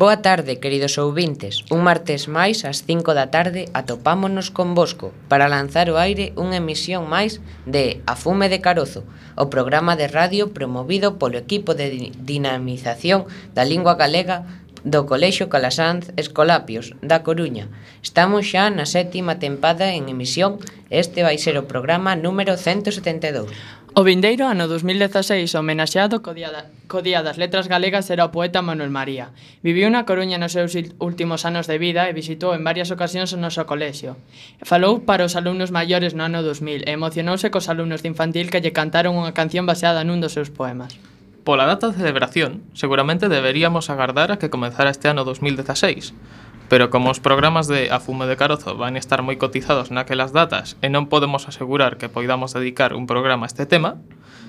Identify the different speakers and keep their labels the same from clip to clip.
Speaker 1: Boa tarde, queridos ouvintes. Un martes máis, ás 5 da tarde, atopámonos convosco para lanzar ao aire unha emisión máis de A Fume de Carozo, o programa de radio promovido polo equipo de dinamización da lingua galega do Colexio Calasanz Escolapios, da Coruña. Estamos xa na 7ª tempada en emisión e este vai ser o programa número 172.
Speaker 2: O vindeiro ano 2016, homenaxeado co Día das Letras Galegas, era o poeta Manuel María. Viviu na Coruña nos seus últimos anos de vida e visitou en varias ocasións o noso colexio. Falou para os alumnos maiores no ano 2000 e emocionouse cos alumnos de infantil que lle cantaron unha canción baseada nun dos seus poemas.
Speaker 3: Pola data de celebración, seguramente deberíamos agardar a que comezara este ano 2016, pero como os programas de A Fume de Carozo van estar moi cotizados naquelas datas e non podemos asegurar que poidamos dedicar un programa a este tema,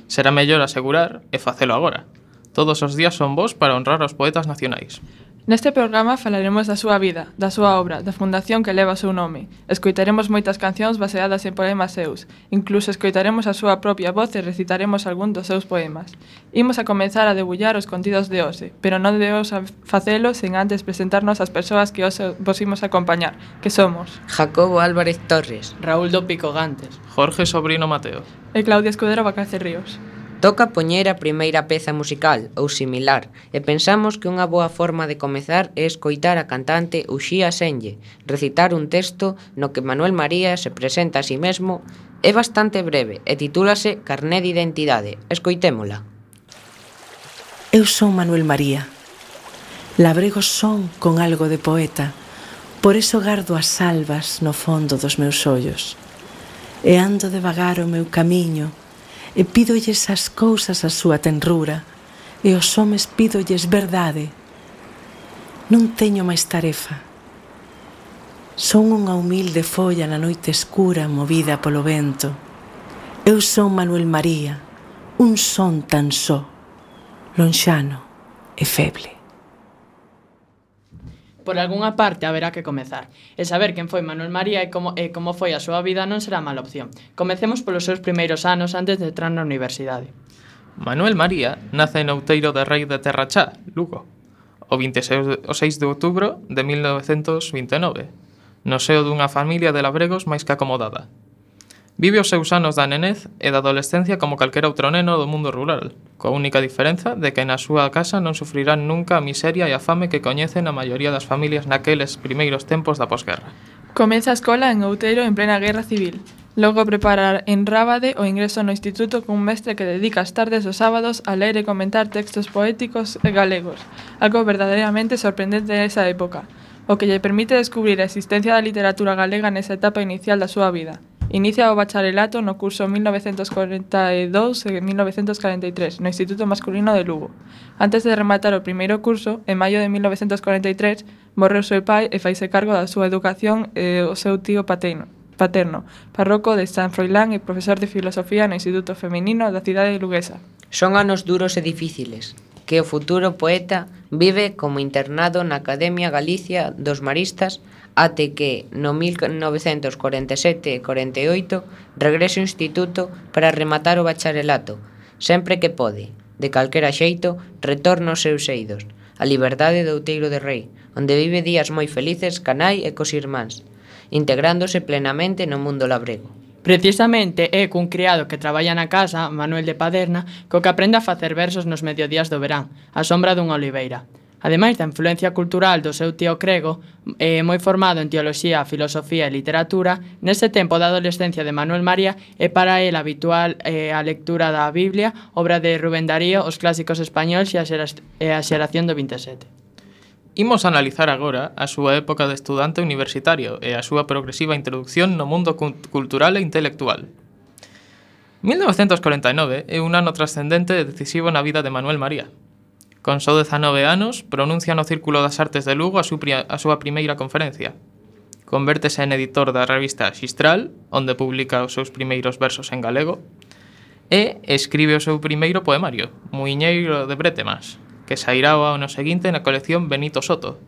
Speaker 3: será mellor asegurar e facelo agora. Todos os días son bons para honrar aos poetas nacionais.
Speaker 4: Neste programa falaremos da súa vida, da súa obra, da fundación que leva o seu nome. Escoitaremos moitas cancións baseadas en poemas seus. Incluso escoitaremos a súa propia voz e recitaremos algún dos seus poemas. Imos a comenzar a debullar os contidos de hoxe, pero non debemos facelo sen antes presentarnos as persoas que hoxe vos imos acompañar, que somos
Speaker 1: Jacobo Álvarez Torres,
Speaker 2: Raúl do Pico Gantes,
Speaker 3: Jorge Sobrino Mateo
Speaker 4: e Claudia Escudero Bacalce Ríos.
Speaker 1: Toca poñer a primeira peza musical, ou similar, e pensamos que unha boa forma de comezar é escoitar a cantante Uxía Senlle recitar un texto no que Manuel María se presenta a sí mesmo. É bastante breve e titúlase Carné de Identidade. Escoitémola.
Speaker 5: Eu son Manuel María. Labrego son con algo de poeta, por iso gardo as salvas no fondo dos meus ollos. E ando devagar o meu camiño, e pídolles as cousas a súa tenrura, e aos homes pídolles verdade. Non teño máis tarefa. Son unha humilde folla na noite escura movida polo vento. Eu son Manuel María, un son tan só, lonxano e feble.
Speaker 2: Por algunha parte haberá que comezar. E saber quen foi Manuel María e como foi a súa vida non será mala opción. Comecemos polos seus primeiros anos antes de entrar na universidade.
Speaker 3: Manuel María nace en Outeiro de Rei de Terrachá, Lugo, o 6 de outubro de 1929, no seo dunha familia de labregos máis que acomodada. Vive os seus anos da nenez e da adolescencia como calquera outro neno do mundo rural, coa única diferenza de que na súa casa non sufrirán nunca a miseria e a fame que coñecen a maioría das familias naqueles primeiros tempos da posguerra.
Speaker 4: Comeza a escola en Outeiro en plena guerra civil. Logo preparar en Rábade o ingreso no instituto cun mestre que dedica as tardes dos sábados a ler e comentar textos poéticos e galegos, algo verdadeiramente sorprendente nesa época, o que lle permite descubrir a existencia da literatura galega nesa etapa inicial da súa vida. Inicia o bacharelato no curso 1942 e 1943 no Instituto Masculino de Lugo. Antes de rematar o primeiro curso, en maio de 1943, morre o seu pai e faise cargo da súa educación o seu tío paterno, parroco de San Froilán e profesor de filosofía no Instituto Feminino da cidade luguesa.
Speaker 1: Son anos duros e difíciles, que o futuro poeta vive como internado na Academia Galicia dos Maristas até que no 1947 e 48 regrese ao instituto para rematar o bacharelato. Sempre que pode, de calquera xeito, retorna aos seus eidos, a liberdade de Outeiro de Rei, onde vive días moi felices ca nai e cos irmáns, integrándose plenamente no mundo labrego.
Speaker 2: Precisamente é cun criado que traballa na casa, Manuel de Paderna, co que aprende a facer versos nos mediodías do verán, á sombra dunha oliveira. Ademais da influencia cultural do seu tío Crego, moi formado en teoloxía, filosofía e literatura, nese tempo da adolescencia de Manuel María é para el habitual a lectura da Biblia, obra de Rubén Darío, os clásicos españois e a xeración do 27.
Speaker 3: Imos analizar agora a súa época de estudante universitario e a súa progresiva introducción no mundo cultural e intelectual. 1949 é un ano trascendente e decisivo na vida de Manuel María. Con só 19 anos, pronuncia no Círculo das Artes de Lugo a súa primeira conferencia. Convértese en editor da revista Xistral, onde publica os seus primeiros versos en galego, e escribe o seu primeiro poemario, Muiñeiro de Bretemas, que sairá o ano seguinte na colección Benito Soto,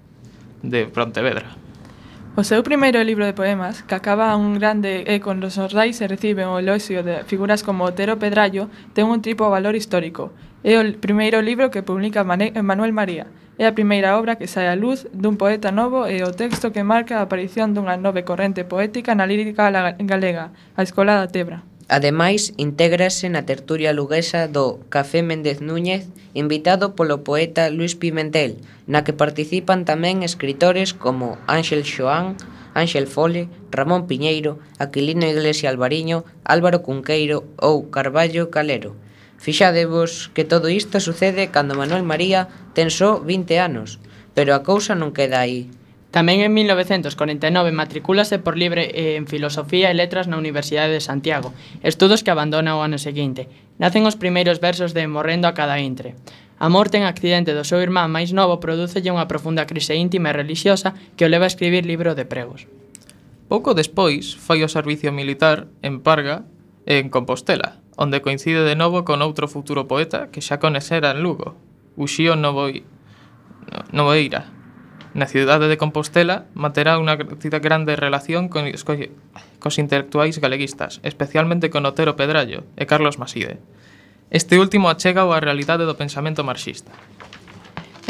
Speaker 3: de Pontevedra.
Speaker 4: O seu primeiro libro de poemas, que acaba un grande e con los xordais e reciben o eloxio de figuras como Otero Pedrallo, ten un triplo valor histórico. É o primeiro libro que publica Manuel María. É a primeira obra que sae á luz dun poeta novo e o texto que marca a aparición dunha nova corrente poética na lírica galega, a Escola da Tebra.
Speaker 1: Ademais, intégrase na tertulia luguesa do Café Méndez Núñez, invitado polo poeta Luis Pimentel, na que participan tamén escritores como Ángel Xoán, Ángel Fole, Ramón Piñeiro, Aquilino Iglesia Alvariño, Álvaro Cunqueiro ou Carballo Calero. Fixadevos que todo isto sucede cando Manuel María ten só 20 anos, pero a cousa non queda aí.
Speaker 2: Tamén en 1949 matricúlase por libre en Filosofía e Letras na Universidade de Santiago, estudos que abandona o ano seguinte. Nacen os primeiros versos de Morrendo a cada intre. A morte en accidente do seu irmán máis novo prodúcelle unha profunda crise íntima e relixiosa que o leva a escribir libro de pregos.
Speaker 3: Pouco despois fai o servicio militar en Parga e en Compostela, onde coincide de novo con outro futuro poeta que xa coñecera en Lugo, Uxío Novoeira. Na cidade de Compostela manterá unha grande relación cos intelectuais galeguistas, especialmente con Otero Pedrallo e Carlos Maside. Este último achega a realidade do pensamento marxista.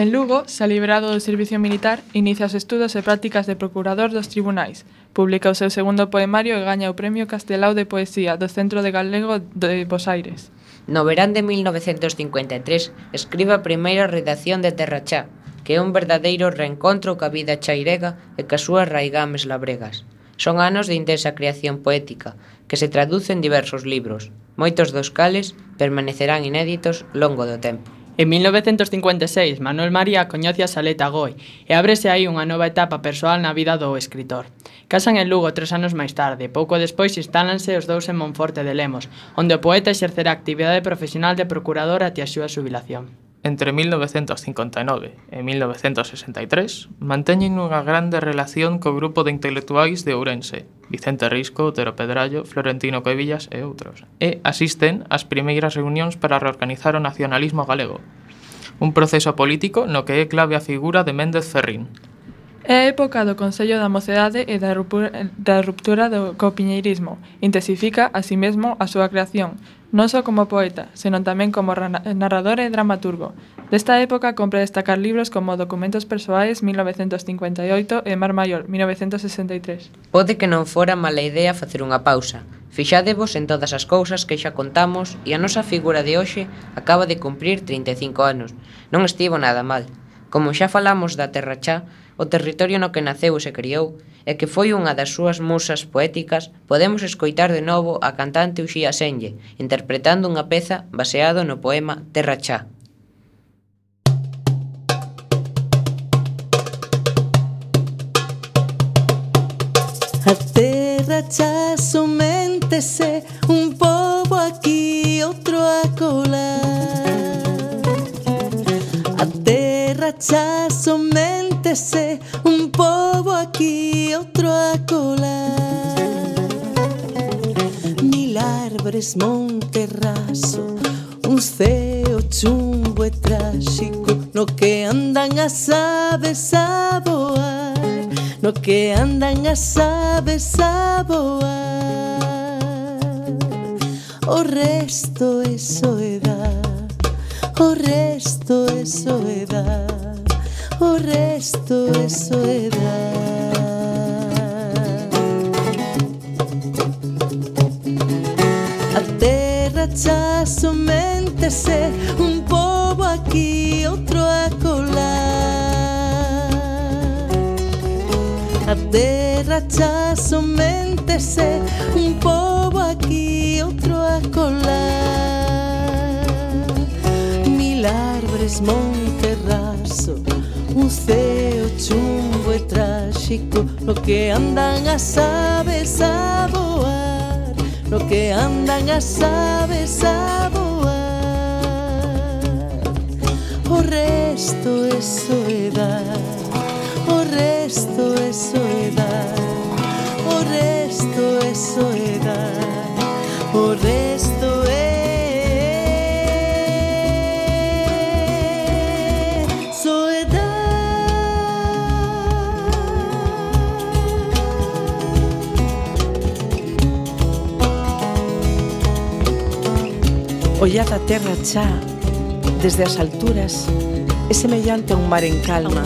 Speaker 4: En Lugo, xa librado do servicio militar, inicia os estudos e prácticas de procurador dos tribunais. Publica o seu segundo poemario e gaña o Premio Castelao de Poesía do Centro de Galego de Bos Aires.
Speaker 1: No verán de 1953 escribe a primeira redacción de Terrachá, que é un verdadeiro reencontro ca vida chairega e ca súas raigames labregas. Son anos de intensa creación poética, que se traduce en diversos libros, moitos dos cales permanecerán inéditos longo do tempo.
Speaker 2: En 1956, Manuel María coñece a Saleta Goi e ábrese aí unha nova etapa persoal na vida do escritor. Casan en Lugo 3 anos máis tarde, pouco despois instálanse os dous en Monforte de Lemos, onde o poeta exercerá a actividade profesional de procurador até a súa xubilación.
Speaker 3: Entre 1959 e 1963 manteñen unha grande relación co grupo de intelectuais de Ourense, Vicente Risco, Otero Pedrallo, Florentino Cuevillas e outros, e asisten ás primeiras reunións para reorganizar o nacionalismo galego, un proceso político no que é clave a figura de Méndez Ferrín.
Speaker 4: É a época do Consello da Mocedade e da ruptura co piñeirismo. Intensifica, así mesmo, a súa creación, non só como poeta, senón tamén como narrador e dramaturgo. Desta época compre destacar libros como Documentos Persoais, 1958, e Mar Maior, 1963.
Speaker 1: Pode que non fora mala idea facer unha pausa. Fixádevos en todas as cousas que xa contamos e a nosa figura de hoxe acaba de cumprir 35 anos. Non estivo nada mal. Como xa falamos da Terrachá, o territorio no que naceu e se criou, e que foi unha das súas musas poéticas, podemos escoitar de novo a cantante Uxía Senlle, interpretando unha peza baseado no poema Terrachá.
Speaker 5: A Terrachá soméntese, un pobo aquí, outro a colar. A Terrachá soméntese, un pobo aquí, outro a colar. Mil árbores, monte raso, un ceo chumbo e tráxico, no que andan as aves a voar, no que andan as aves a voar. O resto é soedad, o resto é soedad, o resto é soedad. A Terrachá soméntese, un pobo aquí, outro a colar. A Terrachá soméntese, un pobo aquí, outro a colar. Mil árbores, monte raso, un ceo chumbo e tráxico, no que andan as aves a voar, no que andan as aves a voar. O resto é soedad, o resto é soedad, o resto é soedad, o resto é soedad. Ollad a terra xa, desde as alturas, é semellante a un mar en calma.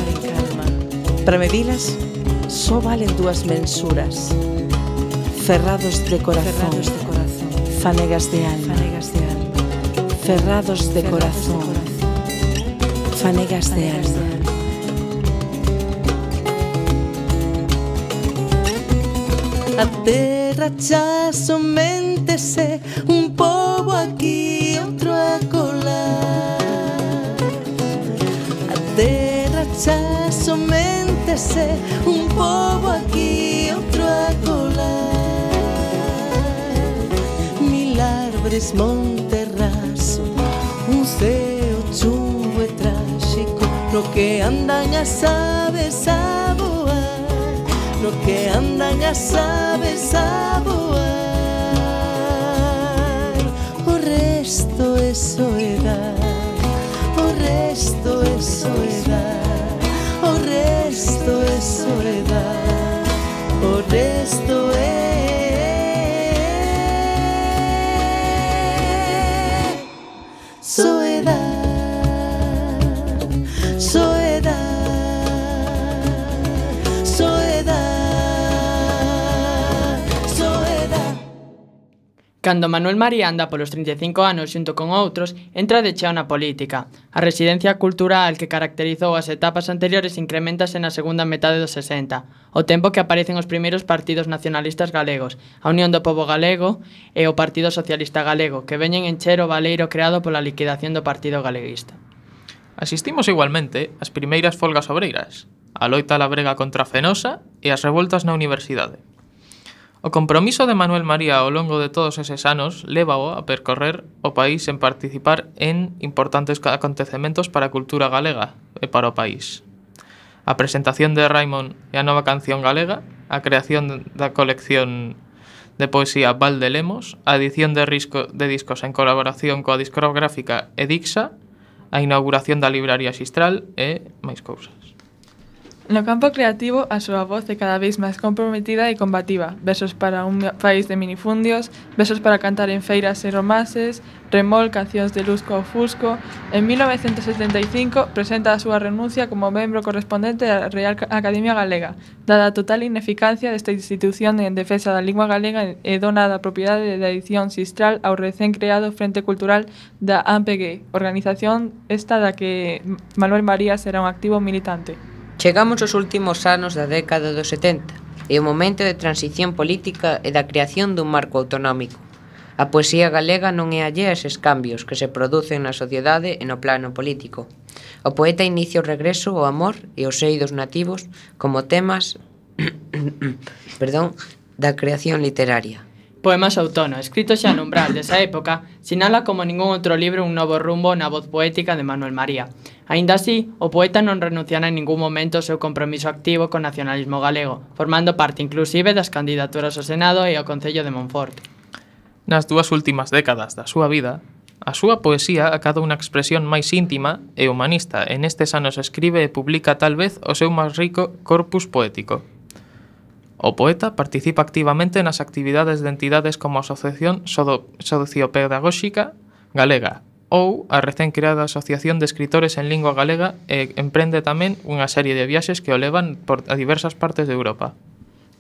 Speaker 5: Para medilas, só valen dúas mensuras. Ferrados de corazón, fanegas de alma. Ferrados de corazón, fanegas de alma. A terra xa somente se un pobo aquí, outro acolá. A terra xa somente se un pobo aquí, outro acolá. Mil árvores, monte raso, un ceo chungo e tráxico, no que andan as aves a voar, no que andan as aves a voar. O resto é soedad, o resto é soedad, o resto é soedad, o resto é soedad, soedad, soedad, soedad.
Speaker 2: Cando Manuel María anda polos 35 anos xunto con outros, entra de cheo na política. A residencia cultural que caracterizou as etapas anteriores incrementase na segunda metade dos 60, o tempo que aparecen os primeiros partidos nacionalistas galegos, a Unión do Pobo Galego e o Partido Socialista Galego, que veñen encher o baleiro creado pola liquidación do Partido Galeguista.
Speaker 3: Asistimos igualmente ás primeiras folgas obreiras, a loita labrega contra a Fenosa e as revoltas na universidade. O compromiso de Manuel María ao longo de todos eses anos lévao a percorrer o país en participar en importantes acontecementos para a cultura galega e para o país. A presentación de Raimon e a nova canción galega, a creación da colección de poesía Val de Lemos, a edición de discos en colaboración coa discográfica Edixa, a inauguración da libraría Xistral e máis cousas.
Speaker 4: No campo creativo, a súa voz é cada vez máis comprometida e combativa. Versos para un país de minifundios, versos para cantar en feiras e romances, Remol, cancións de Lusco ao Fusco. En 1975 presenta a súa renuncia como membro correspondente da Real Academia Galega, dada a total ineficacia desta institución en defensa da lingua galega e dona da propiedade da edición Xistral ao recén creado Frente Cultural da AMPG, organización esta da que Manuel María será un activo militante.
Speaker 1: Chegamos aos últimos anos da década dos 70 e o momento de transición política e da creación dun marco autonómico. A poesía galega non é allea a eses cambios que se producen na sociedade e no plano político. O poeta inicia o regreso ao amor e os eidos nativos como temas da creación literaria.
Speaker 2: Poemas Outono, escrito xa no umbral desa época, sinala como ningún outro libro un novo rumbo na voz poética de Manuel María. Aínda así, o poeta non renunciará en ningún momento ao seu compromiso activo co nacionalismo galego, formando parte inclusive das candidaturas ao Senado e ao Concello de Monforte.
Speaker 3: Nas dúas últimas décadas da súa vida, a súa poesía acada unha expresión máis íntima e humanista e nestes anos escribe e publica tal vez o seu máis rico corpus poético. O poeta participa activamente nas actividades de entidades como a Asociación Sociopedagóxica Galega ou a recén creada Asociación de Escritores en Lingua Galega e emprende tamén unha serie de viaxes que o levan a diversas partes de Europa.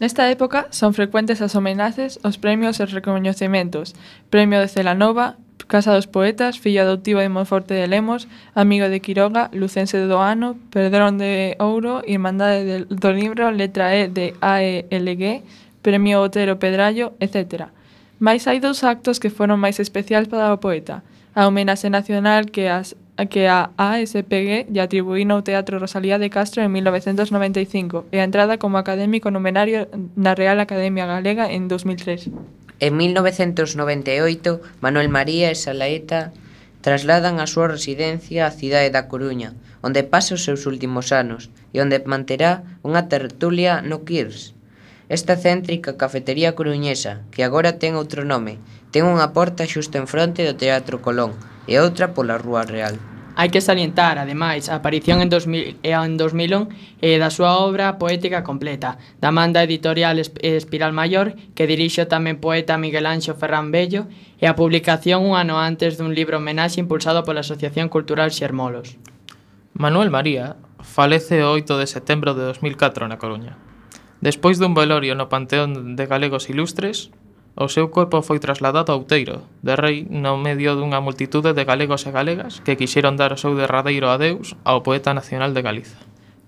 Speaker 4: Nesta época son frecuentes as homenaxes, os premios e os recoñecementos. Premio de Celanova, Casa dos Poetas, fillo adoptivo de Monforte de Lemos, amigo de Quiroga, lucense do ano, Perdón de Ouro, Irmandade do Libro, letra E de AELG, Premio Otero Pedrallo, etc. Mais hai dous actos que foron máis especiais para o poeta. A homenaxe nacional que a ASPG lle atribuíu no Teatro Rosalía de Castro en 1995 e a entrada como académico numerario na Real Academia Galega en 2003.
Speaker 1: En 1998, Manuel María e Salaeta trasladan a súa residencia á cidade da Coruña, onde pasa os seus últimos anos e onde manterá unha tertulia no Kirs. Esta céntrica cafetería coruñesa, que agora ten outro nome, ten unha porta xusto en fronte do Teatro Colón e outra pola Rúa Real.
Speaker 2: Hai que salientar, ademais, a aparición en 2001 da súa obra poética completa, da manda editorial Espiral Maior, que dirixe o tamén poeta Miguel Anxo Ferrán Bello, e a publicación un ano antes dun libro homenaxe impulsado pola Asociación Cultural Xermolos.
Speaker 3: Manuel María falece o 8 de setembro de 2004 na Coruña. Despois dun velorio no Panteón de Galegos Ilustres, o seu corpo foi trasladado a Outeiro de Rei no medio dunha multitude de galegos e galegas que quixeron dar o seu derradeiro adeus ao poeta nacional de Galiza.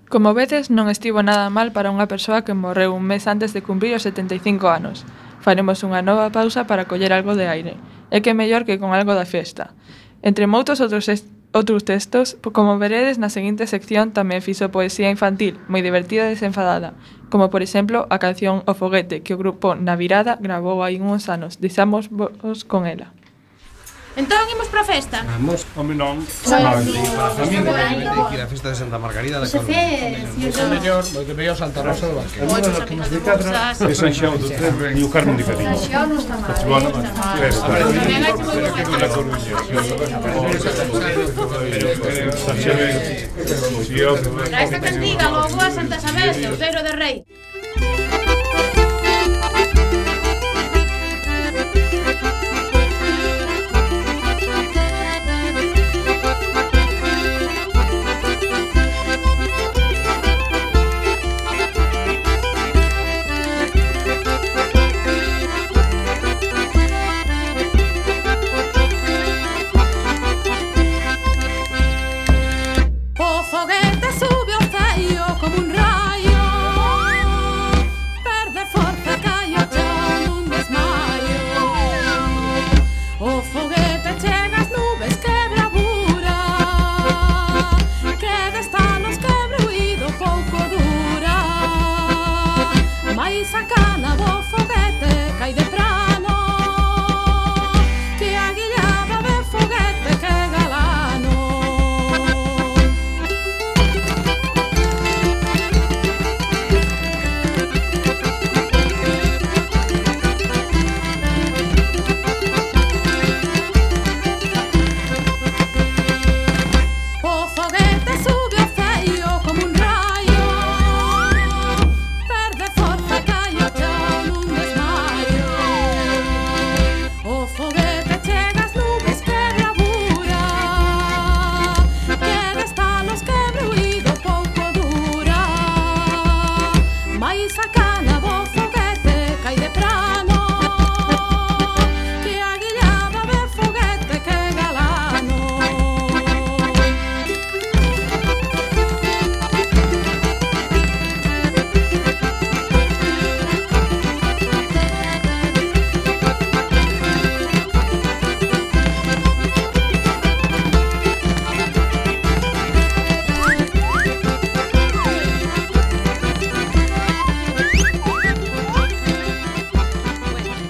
Speaker 4: Como vedes, non estivo nada mal para unha persoa que morreu un mes antes de cumprir os 75 anos. Faremos unha nova pausa para coller algo de aire. É que mellor que con algo da festa. Entre moitos outros textos, como veredes na seguinte sección, tamén fixo poesía infantil, moi divertida e desenfadada, como por exemplo a canción O Foguete, que o grupo Na Virada gravou hai uns anos. Deixamos vos con ela.
Speaker 6: Entón, imos pra festa?
Speaker 7: Vamos, home non. Para a familia que ir a festa de Santa Margarida da Coruña. O mellor, moi que veio Santa Rosa do Barquero.
Speaker 6: Moitos amigos de casa.
Speaker 7: De San Xao do Terre e o Carmen de Cadillo.
Speaker 6: San Xao non está mal.
Speaker 7: Bueno, festa.
Speaker 6: Tamén hai que moi boa
Speaker 7: Na Coruña.
Speaker 6: Para esta cantiga logo a Santa Isabel de Outeiro de Rei.
Speaker 8: O foguete sube ao ceio como un raio, perde forza, cae ao chão nun desmaio. O foguete chega ás nubes, que bravura, que destanos, que bruído pouco dura. Mais a cana do foguete cai de prano, que aguillaba de foguete, que galano. O foguete sube ao ceio como un raio, perde forza, cae ao chão nun desmaio. O foguete chega ás nubes, que bravura, que destanos, que bruído pouco dura. Mais a cana do foguete cai de prano, que aguillaba de foguete, que galano.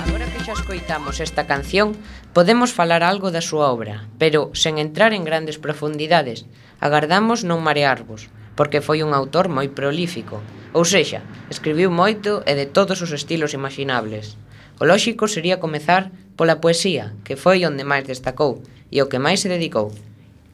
Speaker 1: Agora que xa escoitamos esta canción, podemos falar algo da súa obra, pero sen entrar en grandes profundidades. Agardamos non marearvos, porque foi un autor moi prolífico. Ou sexa, escribiu moito e de todos os estilos imaginables. O lóxico sería comezar pola poesía, que foi onde máis destacou e o que máis se dedicou.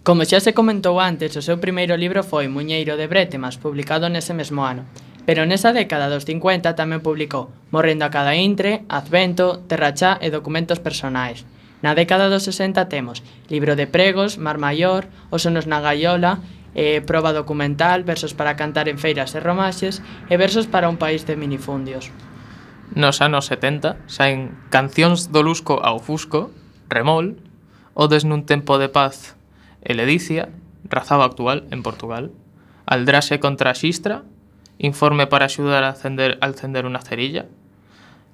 Speaker 2: Como xa se comentou antes, o seu primeiro libro foi Muñeiro de Brétemas, publicado nese mesmo ano. Pero nesa década dos 50 tamén publicou Morrendo a cada intre, Advento, Terrachá e Documentos personais. Na década dos 60 temos Libro de pregos, Mar Maior, Os sonos na gaiola, Proba documental, Versos para cantar en feiras e romaxes e Versos para un país de minifundios.
Speaker 3: Nos anos 70 saen Cancións do Lusco ao Fusco, Remol, Odes nun tempo de paz e Ledicia, Razaba actual en Portugal, Aldraxe contra a Xistra, Informe para axudar a encender unha cerilla,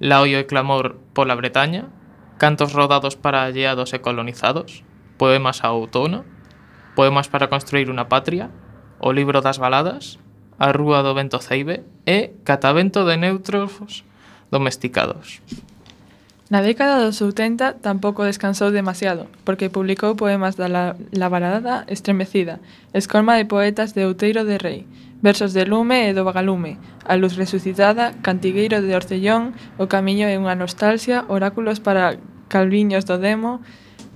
Speaker 3: Laoio e clamor pola Bretaña, Cantos rodados para alleados e colonizados, Poemas ao outono, Poemas para construir unha patria, O libro das baladas, A rúa do vento ceibe e Catavento de neutros domesticados.
Speaker 4: Na década dos 70 tampouco descansou demasiado, porque publicou poemas da La Balada Estremecida, Escolma de poetas de Outeiro de Rei, Versos de lume e do vagalume, A luz resucitada, Cantigueiro de Orcellón, O camiño é unha nostalgia, Oráculos para calviños do demo,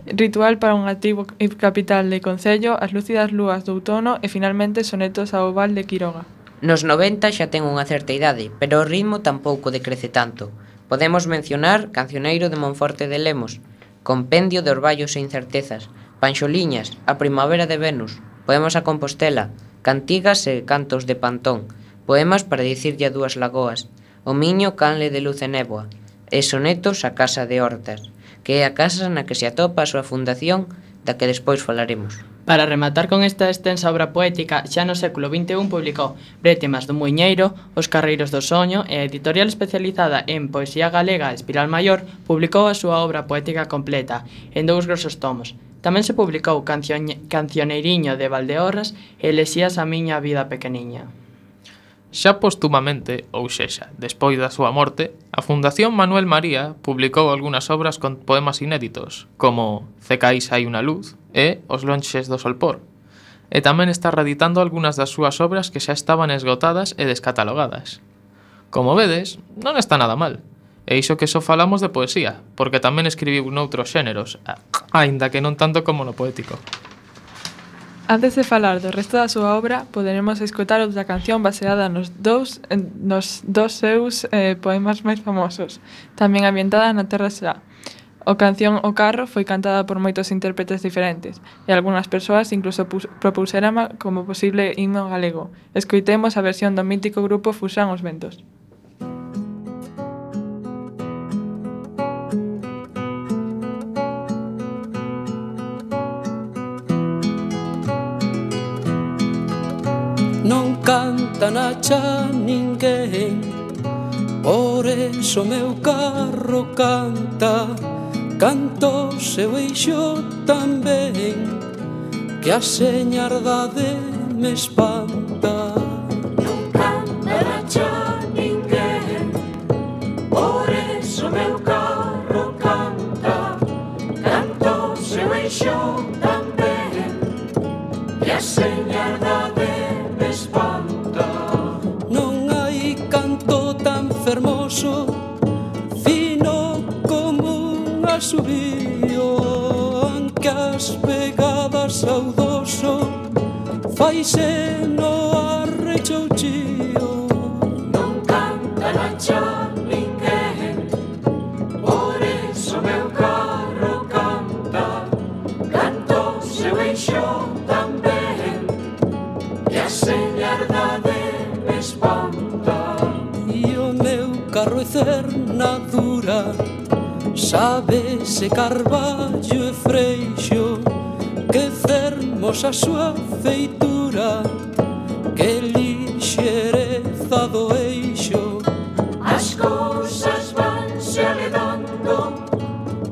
Speaker 4: Ritual para un activo capital de concello, As lúcidas lúas do outono e finalmente Sonetos ao Val de Quiroga.
Speaker 1: Nos 90 xa ten unha certa idade, pero o ritmo tampouco decrece tanto. Podemos mencionar Cancioneiro de Monforte de Lemos, Compendio de Orballos e Incertezas, Panxoliñas, A primavera de Venus, Poemas a Compostela, Cantigas e Cantos de Pantón, Poemas para dicirlle a dúas lagoas, O miño canle de luz e néboa, e Sonetos a Casa de Hortas, que é a casa na que se atopa a súa fundación, da que despois falaremos.
Speaker 2: Para rematar con esta extensa obra poética, xa no século XXI publicou Brétemas do Muiñeiro, Os carreiros do soño e a editorial especializada en poesía galega Espiral Maior publicou a súa obra poética completa, en 2 grosos tomos. Tamén se publicou Cancioneiriño de Valdeorras e Elexías a miña vida pequeniña.
Speaker 3: Xa postumamente, ou sexa, despois da súa morte, a Fundación Manuel María publicou algunhas obras con poemas inéditos, como Cecais hai unha luz e Os lonxes do solpor. E tamén está reeditando algunhas das súas obras que xa estaban esgotadas e descatalogadas. Como vedes, non está nada mal. E iso que só falamos de poesía, porque tamén escribiu noutros xéneros, aínda que non tanto como no poético.
Speaker 4: Antes de falar do resto da súa obra, poderemos escotar outra canción baseada nos dous seus poemas máis famosos, tamén ambientada na Terra Xa. A canción O carro foi cantada por moitos intérpretes diferentes, e algunhas persoas incluso propusérama como posible himno galego. Escoitemos a versión do mítico grupo Fuxán os Ventos.
Speaker 9: Non canta na xa ninguén, por eso meu carro canta. Canto seu eixo tamén, que a señardade me espanta.
Speaker 8: Non canta na xa ninguén, por eso meu carro canta. Canto seu eixo tamén, que a señardade me espanta.
Speaker 9: Non hai canto tan fermoso, fino como un asubío, aunque as pegadas ao doso faise no arrechouchío.
Speaker 8: Non canta na xa ninguén, por eso meu carro canta. Canto seu eixo tamén, que a señardade me espanta.
Speaker 9: E o meu carro é cernadura, sábese carballo e freixo, que fermosa a súa feitura, que lixereza do eixo.
Speaker 8: As cousas vanse aledando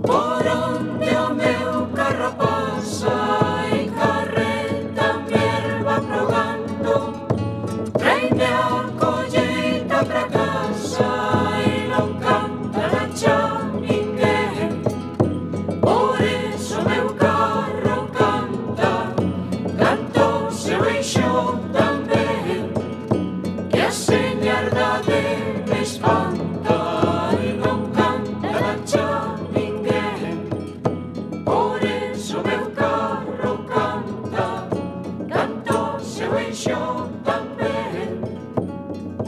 Speaker 8: por onde o meu carro pasa, e carreta mi erva progando, traime a colleita pra casa. E non canta na xa ninguén, por eso meu carro canta. Canto seu eixo tamén, que a señardade me espanta. E non canta na xa ninguén, por eso meu carro canta. Canto seu eixo tamén,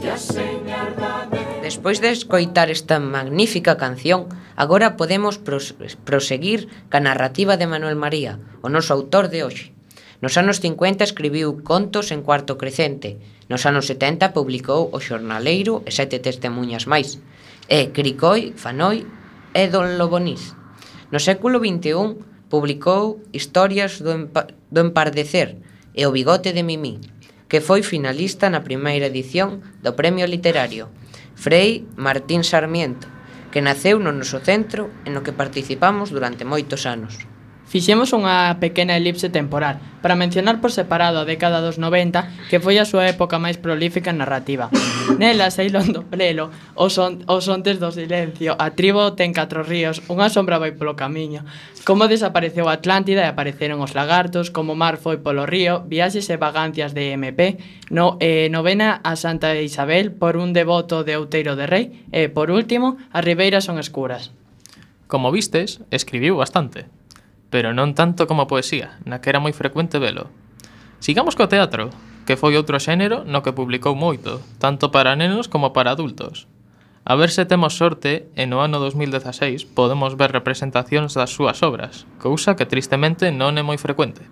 Speaker 8: que a señardade.
Speaker 1: Despois de escoitar esta magnífica canción, agora podemos proseguir ca narrativa de Manuel María, o noso autor de hoxe. Nos anos 50 escribiu contos en cuarto crecente. Nos anos 70 publicou O Xornaleiro e 7 testemunhas máis. E Cricoi, Fanoi e Don Lobonís. No século XXI publicou Historias do Empardecer e O bigote de Mimí, que foi finalista na primeira edición do Premio Literario Frei Martín Sarmiento, que naceu no noso centro e no que participamos durante moitos anos.
Speaker 2: Fixemos unha pequena elipse temporal para mencionar por separado a década dos 90, que foi a súa época máis prolífica en narrativa. Nela saíron do prelo os ontes do silencio, A tribo ten 4 ríos, Unha sombra vai polo camiño, Como desapareceu a Atlántida e apareceron os lagartos, Como o mar foi polo río, Viaxes e vagancias de MP, Novena a Santa Isabel, Por un devoto de Outeiro de Rei e, por último, As ribeiras son escuras.
Speaker 3: Como vistes, escribiu bastante. pero non tanto como a poesía, na que era moi frecuente velo. Sigamos co teatro, que foi outro xénero no que publicou moito, tanto para nenos como para adultos. A ver se temos sorte e no ano 2016 podemos ver representacións das súas obras, cousa que tristemente non é moi frecuente.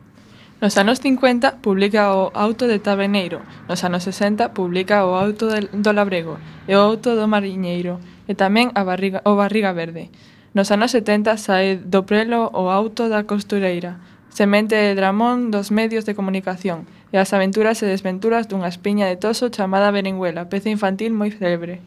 Speaker 4: Nos anos 50 publica o Auto de Taberneiro, nos anos 60 publica o Auto do Labrego e o Auto do Mariñeiro, e tamén o Barriga Verde. Nos anos 70 sae do prelo o Auto da Costureira, semente de dramón dos medios de comunicación, e as aventuras e desventuras dunha espiña de toso chamada Berenguela, peza infantil moi célebre.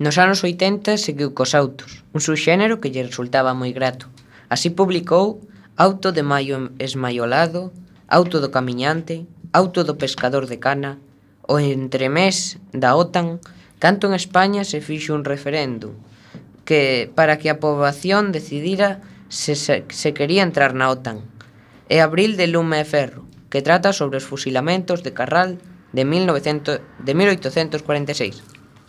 Speaker 1: Nos anos 80 seguiu cos autos, un subxénero que lle resultaba moi grato. Así publicou Auto de Maio Esmaiolado, Auto do Camiñante, Auto do Pescador de Cana, o entremés da OTAN, canto en España se fixo un referéndum para que a poboación decidira se quería entrar na OTAN, e Abril de Lume e Ferro, que trata sobre os fusilamentos de Carral de 1846.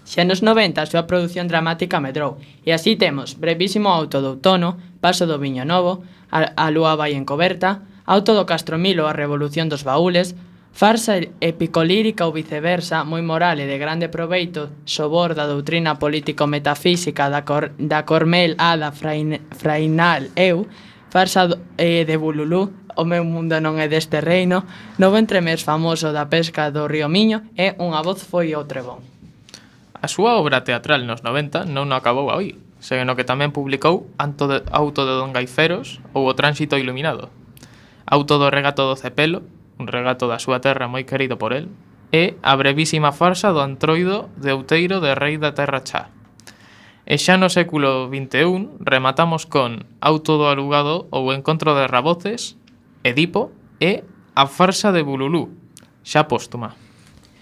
Speaker 2: Xa nos 90 a súa produción dramática medrou, e así temos Brevísimo Auto do Outono, Paso do Viño Novo, A lúa vai encoberta, Auto do Castromilo, A revolución dos baúles, farsa épico-lírica ou viceversa, moi moral e de grande proveito, sobor da doutrina político-metafísica da Cormel Ada Frainal Eu, farsa de Bululú, O meu mundo non é deste reino, Novo entremés famoso da pesca do río Miño e Unha voz foi o trebón.
Speaker 3: A súa obra teatral nos 90 non acabou aí, seno que tamén publicou Auto de Don Gaiferos ou O tránsito iluminado, Auto do regato do Cepelo, un regato da súa terra moi querido por el, e a brevísima farsa do Antroido de Outeiro de Rei da Terra Chá. E xa no século XXI rematamos con Auto do alugado ou Encontro de raboces, Edipo e a farsa de Bululú, xa póstuma.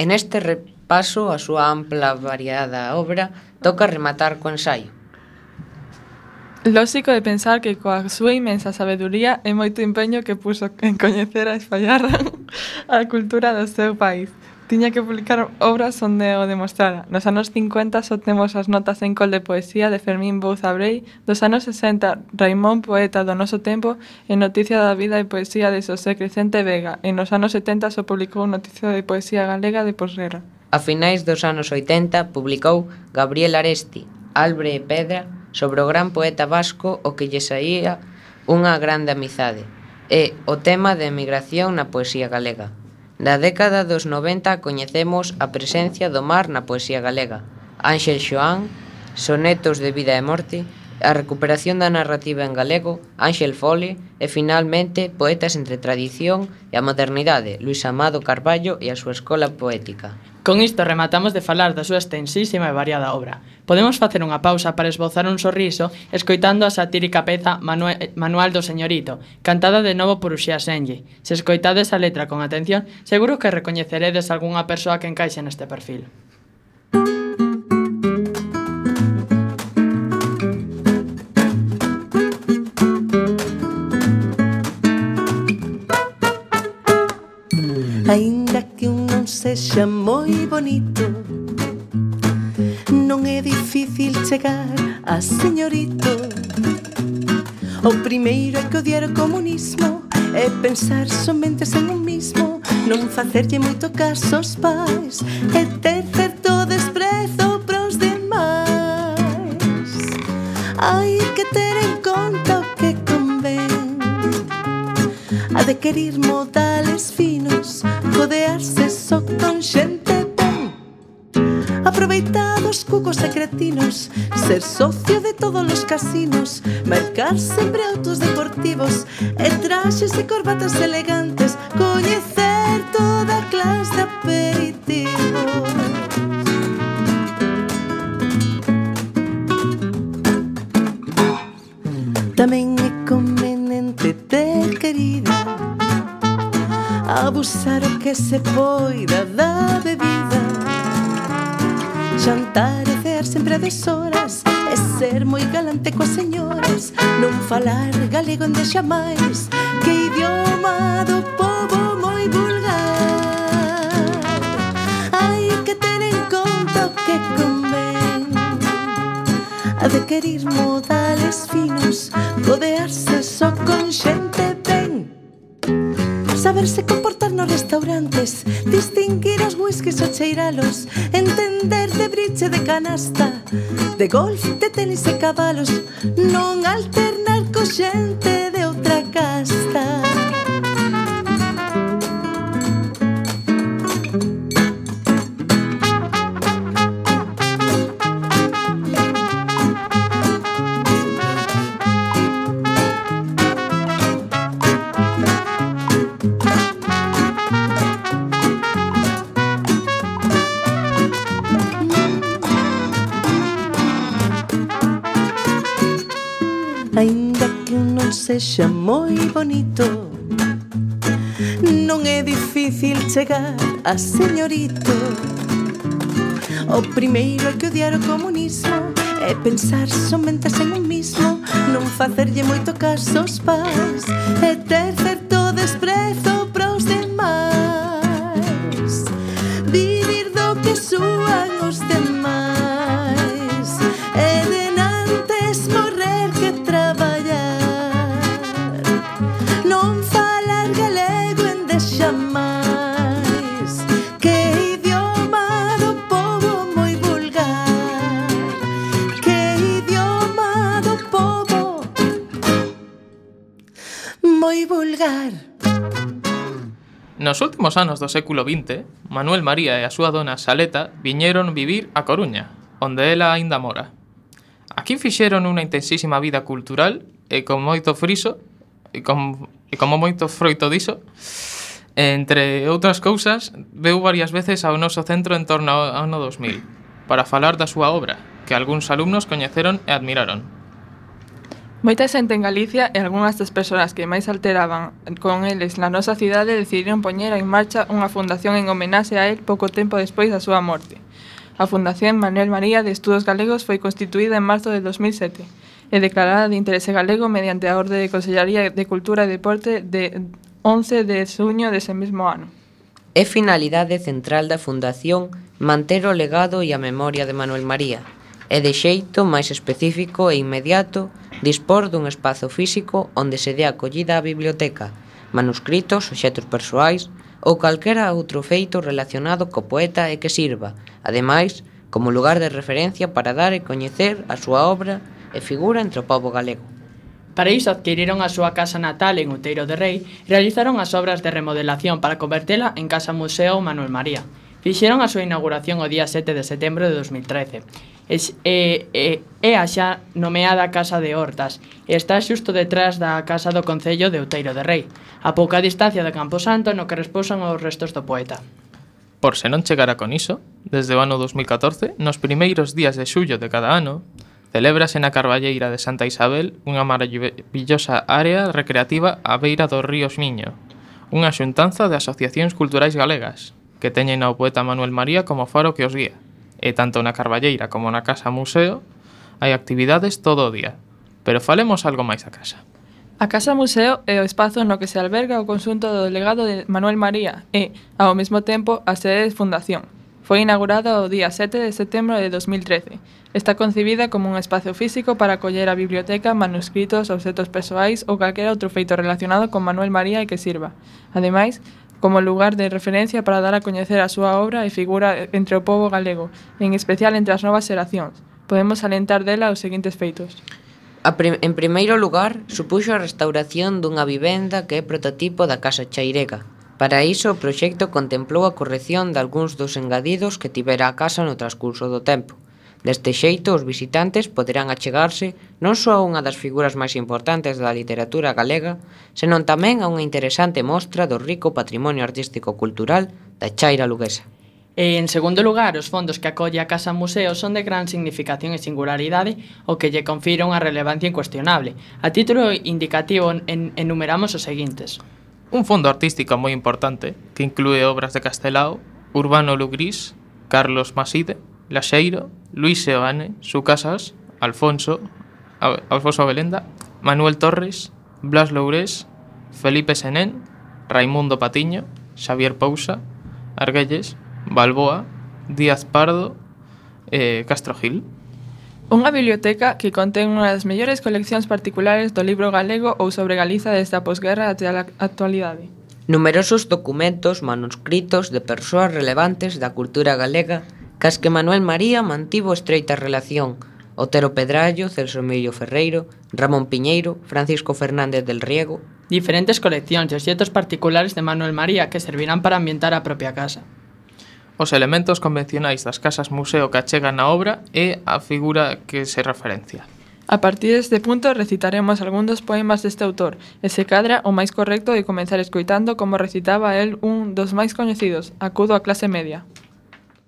Speaker 1: En este repaso a súa ampla variada obra toca rematar co ensaio.
Speaker 4: Lóxico de pensar que coa súa inmensa sabeduría e moito empeño que puso en coñecer a espallar a cultura do seu país, tiña que publicar obras onde o demostrara. Nos anos 50 só temos as notas en col de poesía de Fermín Bouza Brei, dos anos 60 Raimón, poeta do noso tempo, e Noticia da vida e poesía de Xosé Crecente Vega, e nos anos 70 só publicou Noticia de poesía galega de posguerra.
Speaker 1: A finais dos anos 80 publicou Gabriel Aresti, Albre e Pedra, sobre o gran poeta vasco o que lle saía unha grande amizade, e o tema de emigración na poesía galega. Da década dos 90 coñecemos a presencia do mar na poesía galega, Ángel Xoán, sonetos de vida e morte, a recuperación da narrativa en galego, Ángel Fole, e finalmente poetas entre tradición e a modernidade, Luís Amado Carballo e a súa escola poética.
Speaker 2: Con isto rematamos de falar da súa extensísima e variada obra. Podemos facer unha pausa para esbozar un sorriso escoitando a satírica peza Manual do Señorito, cantada de novo por Uxía Senlle. Se escoitades a letra con atención, seguro que recoñeceredes algunha persoa que encaixe neste perfil.
Speaker 10: Aínda que un non sexa moi bonito, non é difícil chegar a señorito. O primeiro é que odiar o comunismo é pensar somente en un mismo, non facerlle moito caso aos pais e ter certo desprezo pros demais. Hai que ter en conta o que convén, adquirir modales finos, codearse só con xente ben, aproveitar os cucos e cretinos, ser socio de todos os casinos, marcar sempre autos deportivos e traxes e corbatas elegantes, coñecer toda clase de aperitivos. Tamén é conveniente ter querida, abusar o que se poida da bebida, xantar e cear sempre a deshoras, e ser moi galante coas señoras, non falar galego en xamais, que idioma do pobo moi vulgar. Hai que ter en conta o que convén, adquirir modales finos, codearse só con xente saberse comportar nos restaurantes, distinguir os whiskies ou cheiralos, entender de bridge de canasta, de golf, de tenis e cabalos, non alternar co xente de outra casta. Ainda que non sexa moi bonito, non é difícil chegar a señorito. O primeiro é que odiar o comunismo é pensar somente en un mismo, non facerlle moito caso aos pais e ter certo desprezo para os demais, vivir do que suan os demais e denantes morrer que traballar, non falar galego en deixamais, que idioma do povo moi vulgar, que idioma do povo moi vulgar.
Speaker 3: Nos últimos anos do século XX, Manuel María e a súa dona Saleta viñeron vivir a Coruña, onde ela aínda mora. Aquí fixeron unha intensísima vida cultural e con moito friso e como moito froito diso. Entre outras cousas, veu varias veces ao noso centro en torno ao ano 2000 para falar da súa obra, que algúns alumnos coñeceron e admiraron.
Speaker 4: Moita xente en Galicia e algunhas das persoas que máis alteraban con eles na nosa cidade decidiron poñer en marcha unha fundación en homenaxe a él pouco tempo despois da súa morte. A Fundación Manuel María de Estudos Galegos foi constituída en marzo de 2007 e declarada de interese galego mediante a Orde de Consellaría de Cultura e Deporte de 11 de xuño dese mesmo ano.
Speaker 1: É finalidade central da Fundación manter o legado e a memoria de Manuel María, e de xeito máis específico e inmediato dispor dun espazo físico onde se dé acollida á biblioteca, manuscritos, obxectos persoais ou calquera outro feito relacionado co poeta e que sirva, ademais, como lugar de referencia para dar e coñecer a súa obra e figura entre o pobo galego.
Speaker 2: Para iso adquiriron a súa casa natal en Outeiro de Rei e realizaron as obras de remodelación para convertela en Casa Museo Manuel María. Fixeron a súa inauguración o día 7 de setembro de 2013. É a xa nomeada Casa de Hortas e está xusto detrás da Casa do Concello de Outeiro de Rei, a pouca distancia de Camposanto no que repousan os restos do poeta.
Speaker 3: Por se non chegara con iso, desde o ano 2014, nos primeiros días de xullo de cada ano, celébrase na Carballeira de Santa Isabel unha maravillosa área recreativa á beira do río Miño, unha xuntanza de asociacións culturais galegas, que teñen ao poeta Manuel María como faro que os guía. E tanto na Carballeira como na Casa Museo hai actividades todo o día. Pero falemos algo máis da casa.
Speaker 4: A Casa Museo é o espazo no que se alberga o conxunto do legado de Manuel María e, ao mesmo tempo, a sede de fundación. Foi inaugurada o día 7 de setembro de 2013. Está concibida como un espazo físico para acoller a biblioteca, manuscritos, obxectos persoais ou calquera outro feito relacionado con Manuel María e que sirva. Ademais, como lugar de referencia para dar a coñecer a súa obra e figura entre o pobo galego, en especial entre as novas xeracións. Podemos alentar dela os seguintes feitos.
Speaker 1: En primeiro lugar, supuxo a restauración dunha vivenda que é prototipo da Casa Chairega. Para iso, o proxecto contemplou a corrección de algúns dos engadidos que tivera a casa no transcurso do tempo. Deste xeito, os visitantes poderán achegarse non só a unha das figuras máis importantes da literatura galega, senón tamén a unha interesante mostra do rico patrimonio artístico-cultural da Chaira luguesa.
Speaker 2: E, en segundo lugar, os fondos que acolle a Casa Museo son de gran significación e singularidade, o que lle confira unha relevancia incuestionable. A título indicativo, enumeramos os seguintes.
Speaker 3: Un fondo artístico moi importante, que inclúe obras de Castelao, Urbano Lugrís, Carlos Maside, Laxeiro, Luis Seoane, Sucasas, Alfonso Belenda, Manuel Torres, Blas Lourés, Felipe Senén, Raimundo Patiño, Xavier Pousa, Arguelles, Balboa, Díaz Pardo e Castro Gil.
Speaker 4: Unha biblioteca que contén unha das mellores coleccións particulares do libro galego ou sobre Galiza desde a posguerra até a actualidade.
Speaker 1: Numerosos documentos manuscritos de persoas relevantes da cultura galega cas que Manuel María mantivo estreita relación: Otero Pedrallo, Celso Emilio Ferreiro, Ramón Piñeiro, Francisco Fernández del Riego.
Speaker 2: Diferentes coleccións e obxetos particulares de Manuel María que servirán para ambientar a propia casa.
Speaker 3: Os elementos convencionais das casas museo que achegan na obra é a figura que se referencia.
Speaker 4: A partir deste punto recitaremos algún dos poemas deste autor e se cadra o máis correcto é comenzar escoitando como recitaba el un dos máis coñecidos, Acudo á clase media.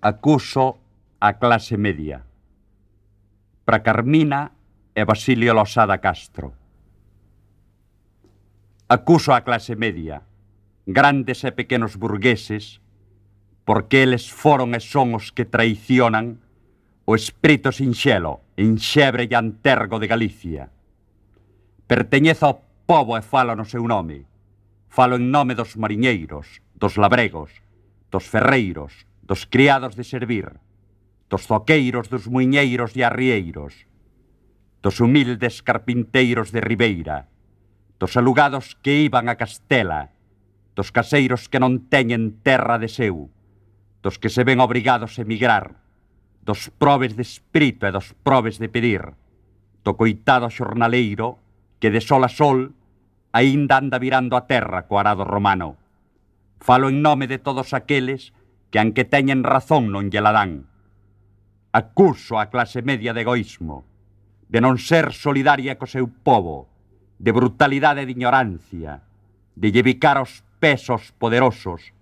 Speaker 11: Acuso a clase media. Pra Carmina e Basilio Losada Castro. Acuso a clase media, grandes e pequenos burgueses, porque eles foron e son os que traicionan o espírito sinxelo, enxebre e antergo de Galicia. Perteñezo ao pobo e falo no seu nome. Falo en nome dos mariñeiros, dos labregos, dos ferreiros, dos criados de servir, dos zoqueiros, dos muiñeiros e arrieiros, dos humildes carpinteiros de Ribeira, dos alugados que iban a Castela, dos caseiros que non teñen terra de seu, dos que se ven obrigados a emigrar, dos probes de espírito e dos probes de pedir, do coitado xornaleiro que de sol a sol aínda anda virando a terra co arado romano. Falo en nome de todos aqueles que anque teñen razón non lle la dan. Acuso a clase media de egoísmo, de non ser solidaria co seu povo, de brutalidade e de ignorancia, de llevicar os pesos poderosos,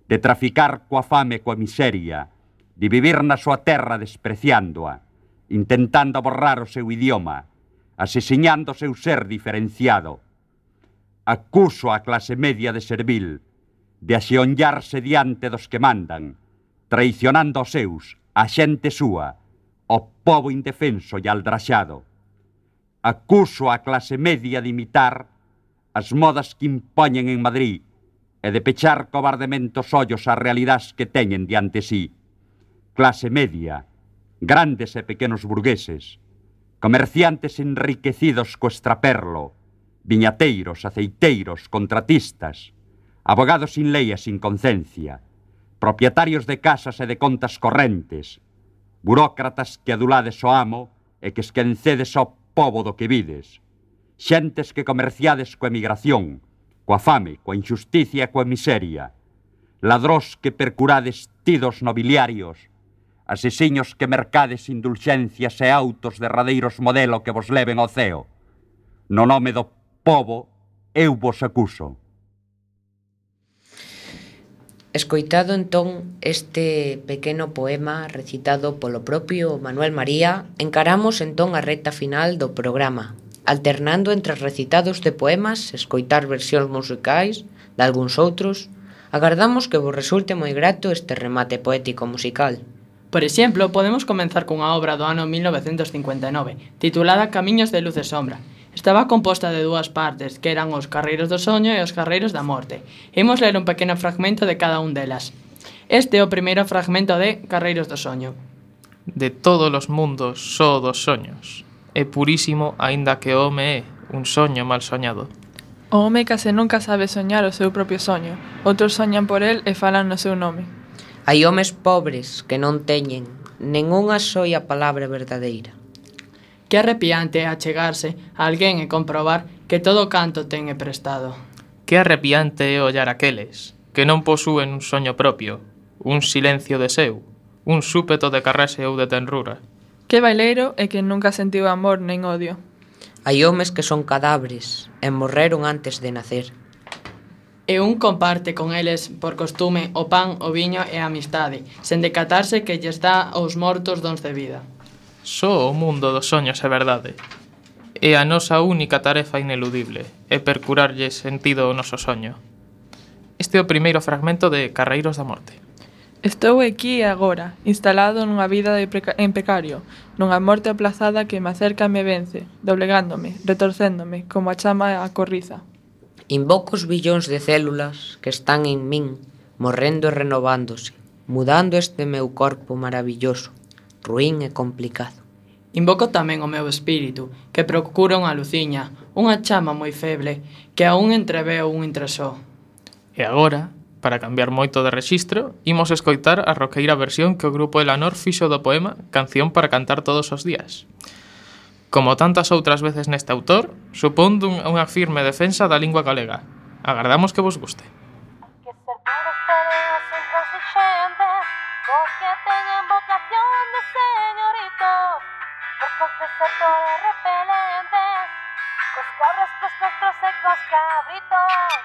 Speaker 11: de traficar coa fame e coa miseria, de vivir na súa terra despreciándoa, intentando borrar o seu idioma, asesiñando o seu ser diferenciado. Acuso a clase media de servil, de axeonllarse diante dos que mandan, traicionando os seus, a xente súa, o pobo indefenso e aldraxado. Acuso a clase media de imitar as modas que impoñen en Madrid e de pechar cobardemente os ollos ás realidades que teñen diante sí. Clase media, grandes e pequenos burgueses, comerciantes enriquecidos co extraperlo, viñateiros, aceiteiros, contratistas, abogados sin lei e sin concencia, propietarios de casas e de contas correntes, burócratas que adulades o amo e que esquencedes ao pobo do que vides, xentes que comerciades coa emigración, coa fame, coa injusticia e coa miseria, ladrós que percurades tidos nobiliarios, asesiños que mercades indulxencias e autos derradeiros modelo que vos leven ao ceo. No nome do pobo, eu vos acuso.
Speaker 1: Escoitado entón este pequeno poema recitado polo propio Manuel María, encaramos entón a recta final do programa, alternando entre recitados de poemas, escoitar versións musicais de algúns outros. Agardamos que vos resulte moi grato este remate poético musical.
Speaker 2: Por exemplo, podemos comenzar cunha obra do ano 1959, titulada Camiños de luz e sombra. Estaba composta de dúas partes, que eran os carreiros do soño e os carreiros da morte. Imos ler un pequeno fragmento de cada un delas. Este é o primeiro fragmento de Carreiros do soño.
Speaker 3: De todos os mundos só dos soños. É purísimo, aínda que o home é un soño mal soñado.
Speaker 4: O home case nunca sabe soñar o seu propio soño. Outros soñan por el e falan no seu nome.
Speaker 1: Hai homes pobres que non teñen nen unha soia palabra verdadeira.
Speaker 2: Que arrepiante é achegarse a alguén e comprobar que todo canto ten é prestado.
Speaker 3: Que arrepiante é ollar aqueles que non posúen un soño propio, un silencio de seu, un súpeto de carrese ou de tenrura.
Speaker 4: Que baileiro é que nunca sentiu amor nen odio.
Speaker 1: Hai homes que son cadáveres e morreron antes de nacer.
Speaker 2: E un comparte con eles por costume o pan, o viño e a amistade, sen decatarse que lles dá aos mortos dons de vida.
Speaker 3: Só o mundo dos soños é verdade. É a nosa única tarefa ineludible, é percurarlle sentido ao noso soño. Este é o primeiro fragmento de Carreiros da morte.
Speaker 4: Estou aquí e agora, instalado nunha vida en precario, nunha morte aplazada que me acerca e me vence, doblegándome, retorcéndome, como a chama a corriza.
Speaker 1: Invoco os billóns de células que están en min, morrendo e renovándose, mudando este meu corpo maravilloso, ruín e complicado.
Speaker 2: Invoco tamén o meu espírito, que procura unha luciña, unha chama moi feble, que aún entreveo un intresó.
Speaker 3: E agora, para cambiar moito de rexistro, imos escoitar a roqueira versión que o grupo Elanor fixo do poema Canción para cantar todos os días. Como tantas outras veces neste autor, supón unha firme defensa da lingua galega. Agardamos que vos guste.
Speaker 8: Os que teñen vocación de señoritos, porcos desertores repelentes, cos cabras, cos costros e cos cabritos.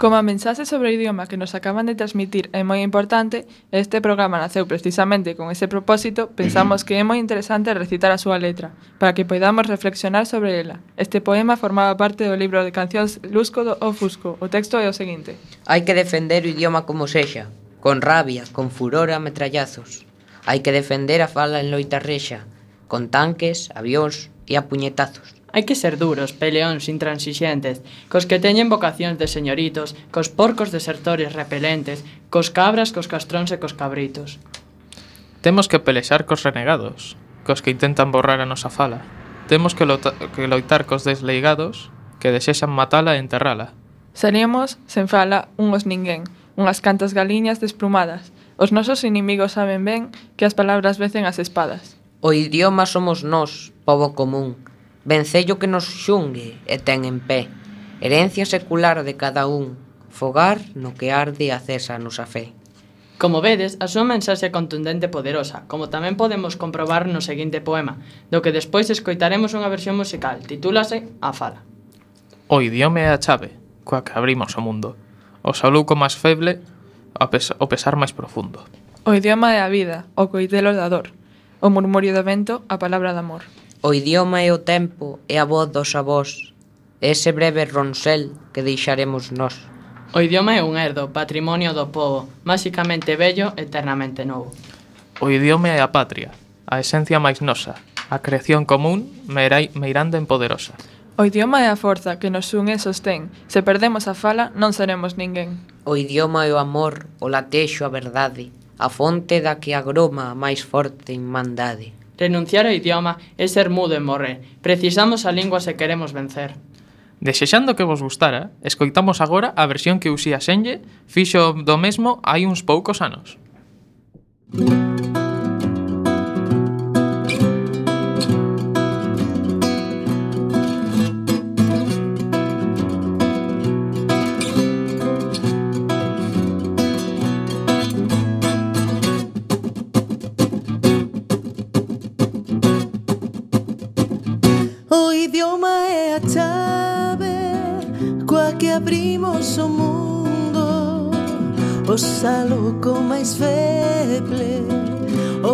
Speaker 4: Como a mensaxe sobre o idioma que nos acaban de transmitir é moi importante, este programa naceu precisamente con ese propósito, pensamos que é moi interesante recitar a súa letra, para que poidamos reflexionar sobre ela. Este poema formaba parte do libro de cancións Lusco do Ofusco. O texto é o seguinte:
Speaker 1: Hai que defender o idioma como sexa, con rabia, con furor a metrallazos. Hai que defender a fala en loita rexa, con tanques, avións e a puñetazos.
Speaker 2: Hai que ser duros, peleóns, intransigentes, cos que teñen vocacións de señoritos, cos porcos desertores repelentes, cos cabras, cos castróns e cos cabritos.
Speaker 3: Temos que pelexar cos renegados, cos que intentan borrar a nosa fala. Temos que loitar cos desleigados, que desexan matala e enterrala.
Speaker 4: Seríamos, sen fala, unhos ninguén, unhas cantas galiñas desplumadas. Os nosos inimigos saben ben que as palabras vecen as espadas.
Speaker 1: O idioma somos nós, pobo común, vencello que nos xungue e ten en pé, herencia secular de cada un, fogar no que arde a cesa a nosa fe.
Speaker 2: Como vedes, a súa mensaxe é contundente e poderosa, como tamén podemos comprobar no seguinte poema, do que despois escoitaremos unha versión musical, titúlase A Fala.
Speaker 3: O idioma é a chave, coa que abrimos o mundo, o saluco máis feble, o pesar máis profundo.
Speaker 4: O idioma é a vida, o coitelo da dor, o murmurio do vento, a palabra de amor.
Speaker 1: O idioma é o tempo, é a voz dos avós, ese breve ronsel que deixaremos nós.
Speaker 2: O idioma é un herdo, patrimonio do povo, máxicamente bello, eternamente novo.
Speaker 3: O idioma é a patria, a esencia máis nosa, a creación común, meirande en poderosa.
Speaker 4: O idioma é a forza que nos une e sostén. Se perdemos a fala, non seremos ninguén.
Speaker 1: O idioma é o amor, o latexo, a verdade, a fonte da que agroma a máis forte irmandade.
Speaker 2: Renunciar ao idioma é ser mudo e morrer. Precisamos a lingua se queremos vencer.
Speaker 3: Desexando que vos gustara, escoitamos agora a versión que Uxía Senlle fixo do mesmo hai uns poucos anos.
Speaker 10: O idioma é a chave coa que abrimos o mundo, o saluco máis feble, o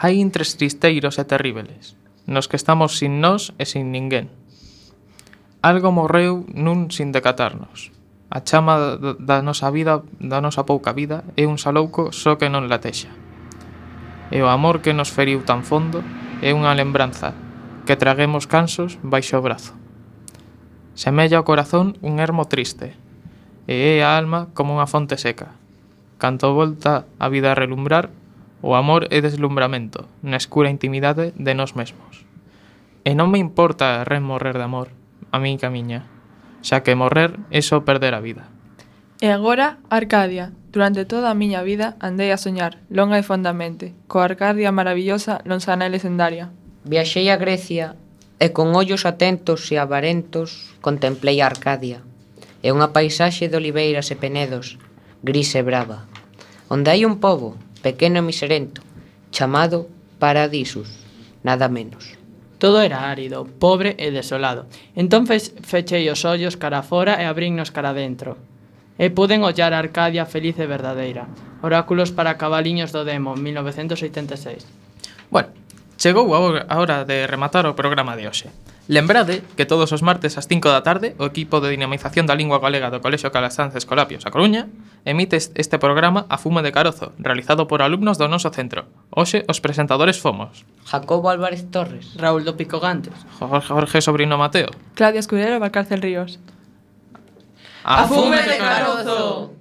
Speaker 3: Hai intres tristeiros e terríveles, nos que estamos sin nós e sin ninguén. Algo morreu nun sin decatarnos. A chama da nosa vida, da nosa pouca vida, é un salouco só que non latexa. E o amor que nos feriu tan fondo é unha lembranza que traguemos cansos baixo o brazo. Semella o corazón un ermo triste, e é a alma como unha fonte seca. Canto volta a vida a relumbrar, o amor é deslumbramento na escura intimidade de nós mesmos. E non me importa morrer de amor, a min camiña, xa que morrer é só perder a vida.
Speaker 4: E agora, Arcadia. Durante toda a miña vida andei a soñar, longa e fondamente, coa Arcadia maravillosa, lonsana e lesendaria.
Speaker 1: Viaxei a Grecia e con ollos atentos e avarentos contemplei a Arcadia. É unha paisaxe de oliveiras e penedos, gris e brava, onde hai un pobo, pequeno e miserento, chamado Paradisus, nada menos.
Speaker 2: Todo era árido, pobre e desolado. Entón fechei os ollos cara fora e abrinnos cara dentro. E puden ollar a Arcadia feliz e verdadeira. Oráculos para cabaliños do demo, 1986.
Speaker 3: Bueno, chegou a hora de rematar o programa de hoxe. Lembrade que todos os martes ás 5 da tarde o equipo de dinamización da lingua galega do Colexio Calasanz Escolapios a Coruña emite este programa a fume de carozo, realizado por alumnos do noso centro. Hoxe os presentadores fomos
Speaker 1: Jacobo Álvarez Torres,
Speaker 2: Raúl do Pico Gantes,
Speaker 3: Jorge Sobrino Mateo,
Speaker 4: Claudia Escudero, Valcárcel Ríos.
Speaker 3: ¡A fume de carozo!